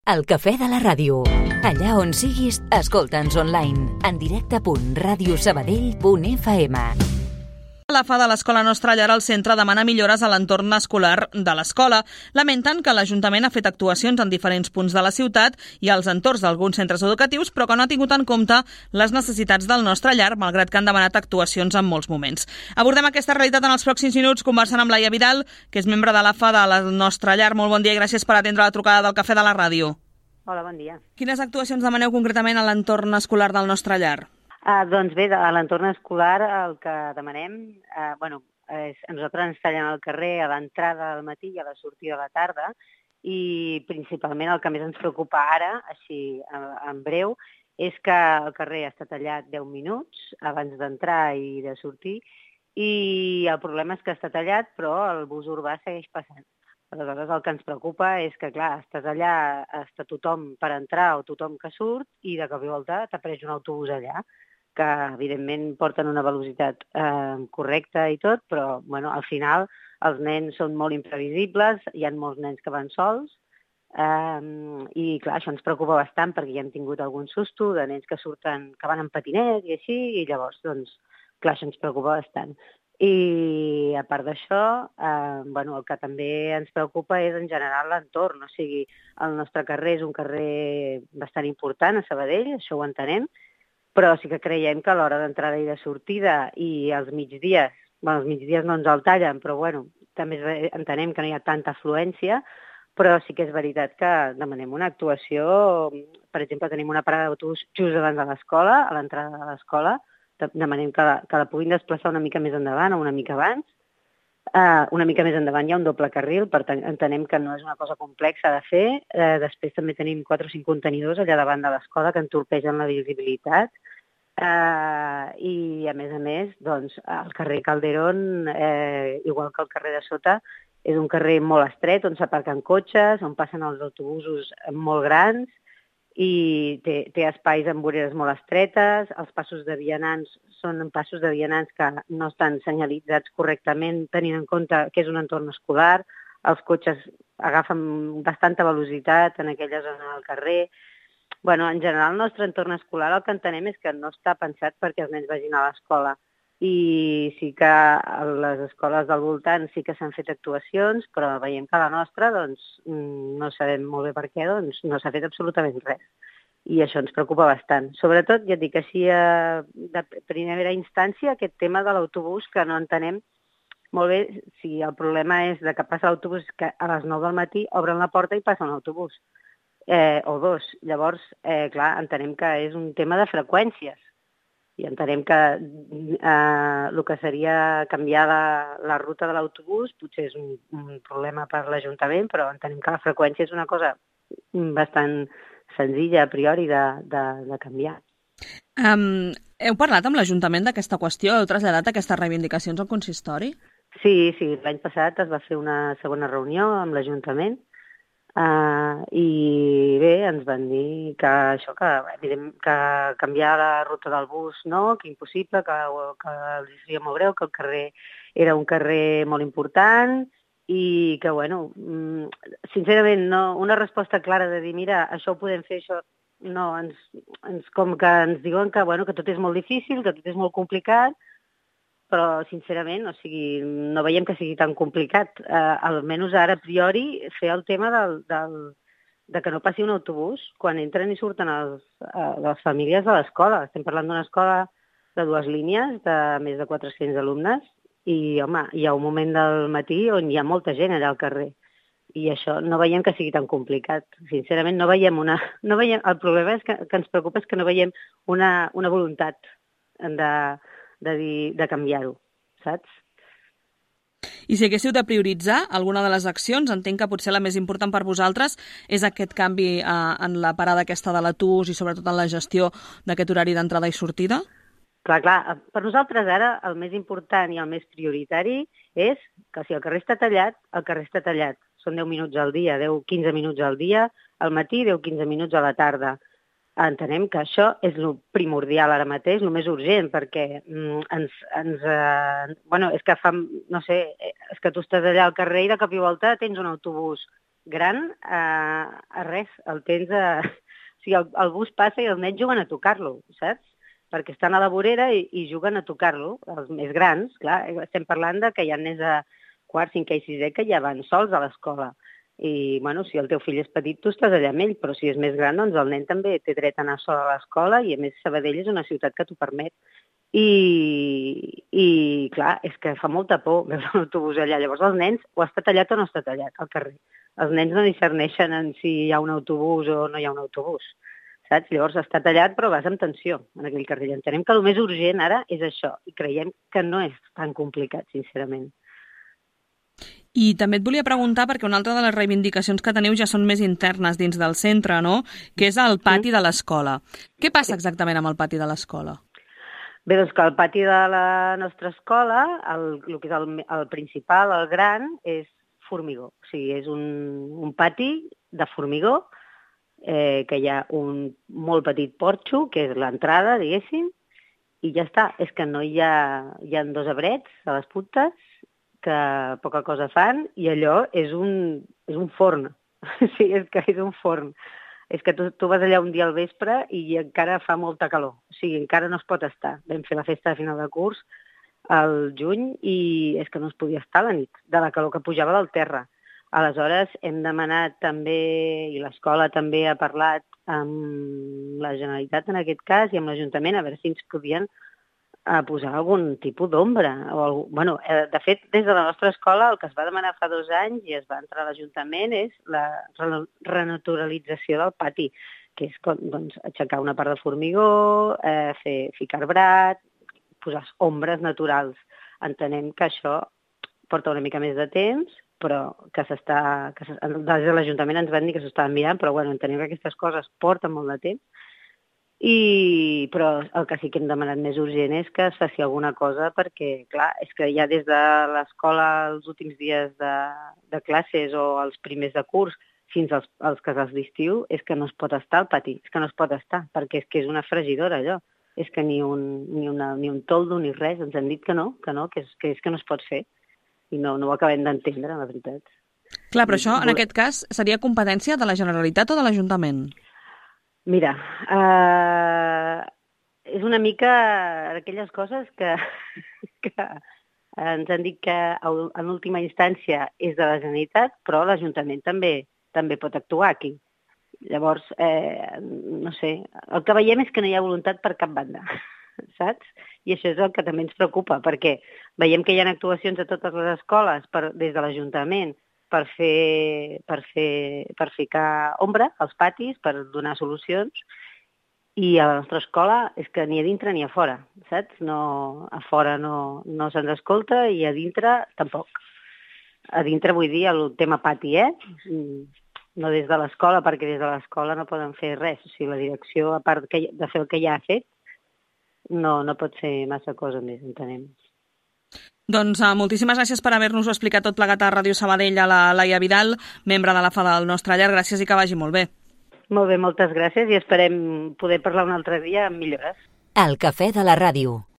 El cafè de la ràdio. Allà on siguis, escolta'ns online. En directe.radiosabadell.fm. La FA de l'Escola Nostra Llar al centre demana millores a l'entorn escolar de l'escola. Lamenten que l'Ajuntament ha fet actuacions en diferents punts de la ciutat i als entorns d'alguns centres educatius, però que no ha tingut en compte les necessitats del nostre llar, malgrat que han demanat actuacions en molts moments. Abordem aquesta realitat en els pròxims minuts conversant amb Laia Vidal, que és membre de la FA de la Nostra Llar. Molt bon dia i gràcies per atendre la trucada del Cafè de la Ràdio. Hola, bon dia. Quines actuacions demaneu concretament a l'entorn escolar del nostre llar? Doncs bé, a l'entorn escolar el que demanem, nosaltres ens tallen al carrer a l'entrada al matí i a la sortida a la tarda i principalment el que més ens preocupa ara, així en breu, és que el carrer està tallat 10 minuts abans d'entrar i de sortir i el problema és que està tallat però el bus urbà segueix passant. Aleshores el que ens preocupa és que, clar, estàs allà, està tothom per entrar o tothom que surt i de cop i volta t'apareix un autobús allà, que evidentment porten una velocitat correcta i tot, però al final els nens són molt imprevisibles, hi ha molts nens que van sols i clar, això ens preocupa bastant perquè ja hem tingut algun susto de nens que surten, que van en patinet i així, i llavors, doncs, clar, això ens preocupa bastant. I a part d'això, el que també ens preocupa és en general l'entorn, o sigui, el nostre carrer és un carrer bastant important a Sabadell, això ho entenem, però sí que creiem que a l'hora d'entrada i de sortida i els migdies no ens el tallen, però també entenem que no hi ha tanta afluència, però sí que és veritat que demanem una actuació. Per exemple, tenim una parada d'autobús just davant de l'escola, a l'entrada de l'escola, demanem que la puguin desplaçar una mica més endavant o una mica abans. Una mica més endavant hi ha un doble carril, per tant entenem que no és una cosa complexa de fer. Després també tenim 4 o 5 contenidors allà davant de l'escola que entorpegen la visibilitat. I a més, doncs, el carrer Calderón, igual que el carrer de sota, és un carrer molt estret on s'aparquen cotxes, on passen els autobusos molt grans i té espais amb voreres molt estretes. Els passos de vianants són passos de vianants que no estan senyalitzats correctament, tenint en compte que és un entorn escolar. Els cotxes agafen bastanta velocitat en aquella zona del carrer. En general, el nostre entorn escolar el que entenem és que no està pensat perquè els nens vagin a l'escola. I sí que a les escoles del voltant sí que s'han fet actuacions, però veiem que la nostra, doncs, no sabem molt bé per què, doncs, no s'ha fet absolutament res. I això ens preocupa bastant. Sobretot, ja et dic, així de primera instància, aquest tema de l'autobús, que no entenem molt bé si el problema és de que passa l'autobús, que a les 9 del matí obren la porta i passa un autobús. O dos. Llavors, clar, entenem que és un tema de freqüències. I entenem que el que seria canviar la ruta de l'autobús potser és un problema per l'Ajuntament, però entenem que la freqüència és una cosa bastant senzilla a priori de canviar. Heu parlat amb l'Ajuntament d'aquesta qüestió? Heu traslladat aquestes reivindicacions al consistori? Sí, l'any passat es va fer una segona reunió amb l'Ajuntament i bé, ens van dir que això, que canviar la ruta del bus no, que impossible, que els seria molt greu, que el carrer era un carrer molt important i que, sincerament, no, una resposta clara de dir, mira, això ho podem fer, això no, com que ens diuen que tot és molt difícil, que tot és molt complicat, però, sincerament, no veiem que sigui tan complicat. Almenys ara, a priori, fer el tema de que no passi un autobús quan entren i surten les famílies de l'escola. Estem parlant d'una escola de 2 línies, de més de 400 alumnes, i, home, hi ha un moment del matí on hi ha molta gent allà al carrer. I això no veiem que sigui tan complicat. Sincerament, no veiem el problema és que ens preocupa és que no veiem una voluntat de canviar-ho, saps? I si haguéssiu de prioritzar alguna de les accions, entenc que potser la més important per vosaltres és aquest canvi en la parada aquesta de l'autobús i sobretot en la gestió d'aquest horari d'entrada i sortida? Clar, per nosaltres ara el més important i el més prioritari és que si el carrer està tallat, el carrer està tallat. Són 10 minuts al dia, 10-15 minuts al dia, al matí, 10-15 minuts a la tarda. Entenem que això és el primordial ara mateix, el més urgent, perquè és que és que tu estàs allà al carrer i de cop i volta tens un autobús gran a res. El tens o sigui, el bus passa i els nens juguen a tocar-lo, saps? Perquè estan a la vorera i juguen a tocar-lo. Els més grans, clar, estem parlant de que hi ha nens de quart, cinquè i sisè que ja van sols a l'escola. I, bueno, si el teu fill és petit, tu estàs allà amb ell, però si és més gran, doncs el nen també té dret a anar sol a l'escola i, a més, Sabadell és una ciutat que t'ho permet. I clar, és que fa molta por veure un autobús allà. Llavors els nens, o està tallat o no està tallat al carrer. Els nens no discerneixen en si hi ha un autobús o no hi ha un autobús, saps? Llavors està tallat però vas amb tensió en aquell carrer. Entenem que el més urgent ara és això i creiem que no és tan complicat, sincerament. I també et volia preguntar, perquè una altra de les reivindicacions que teniu ja són més internes dins del centre, no? Que és el pati de l'escola. Què passa exactament amb el pati de l'escola? Bé, doncs que el pati de la nostra escola, el que és el principal, el gran, és formigó. O sigui, és un pati de formigó, que hi ha un molt petit porxo, que és l'entrada, diguéssim, i ja està. És que no hi ha 2 arbrets a les puntes, que poca cosa fan, i allò és un forn. Sí, és que és un forn. És que tu vas allà un dia al vespre i encara fa molta calor. O sigui, encara no es pot estar. Vam fer la festa de final de curs al juny i és que no es podia estar a la nit, de la calor que pujava del terra. Aleshores, hem demanat també, i l'escola també ha parlat amb la Generalitat en aquest cas i amb l'Ajuntament, a veure si ens podien posar algun tipus d'ombra. De fet, des de la nostra escola el que es va demanar fa 2 anys i es va entrar a l'Ajuntament és la renaturalització del pati, que és doncs, aixecar una part de formigó, ficar arbrat, posar ombres naturals. Entenem que això porta una mica més de temps, però que des de l'Ajuntament ens van dir que s'estaven mirant, però entenem que aquestes coses porten molt de temps. Però el que sí que hem demanat més urgent és que es faci alguna cosa perquè, clar, és que ja des de l'escola els últims dies de classes o els primers de curs fins als casals d'estiu és que no es pot estar al pati, és que no es pot estar, perquè és que és una fregidora allò. És que ni un toldo ni res, ens han dit que no, que és que no es pot fer. I no ho acabem d'entendre, la veritat. Clar, però això, en aquest cas, seria competència de la Generalitat o de l'Ajuntament? Mira, és una mica aquelles coses que ens han dit que en última instància és de la Generalitat, però l'Ajuntament també pot actuar aquí. Llavors, no sé, el que veiem és que no hi ha voluntat per cap banda, saps? I això és el que també ens preocupa, perquè veiem que hi ha actuacions a totes les escoles des de l'Ajuntament per ficar ombra als patis, per donar solucions, i a la nostra escola és que ni a dintre ni a fora, saps? A fora no se'ns escolta i a dintre tampoc. A dintre vull dir el tema pati, no des de l'escola, perquè des de l'escola no poden fer res. O sigui, la direcció, a part de fer el que ja ha fet, no pot fer massa cosa més, entenem. Doncs moltíssimes gràcies per haver-nos-ho explicat tot plegat a Ràdio Sabadell, a la Laia Vidal, membre de la FADA del nostre llar. Gràcies i que vagi molt bé. Molt bé, moltes gràcies i esperem poder parlar un altre dia amb millores. El cafè de la ràdio.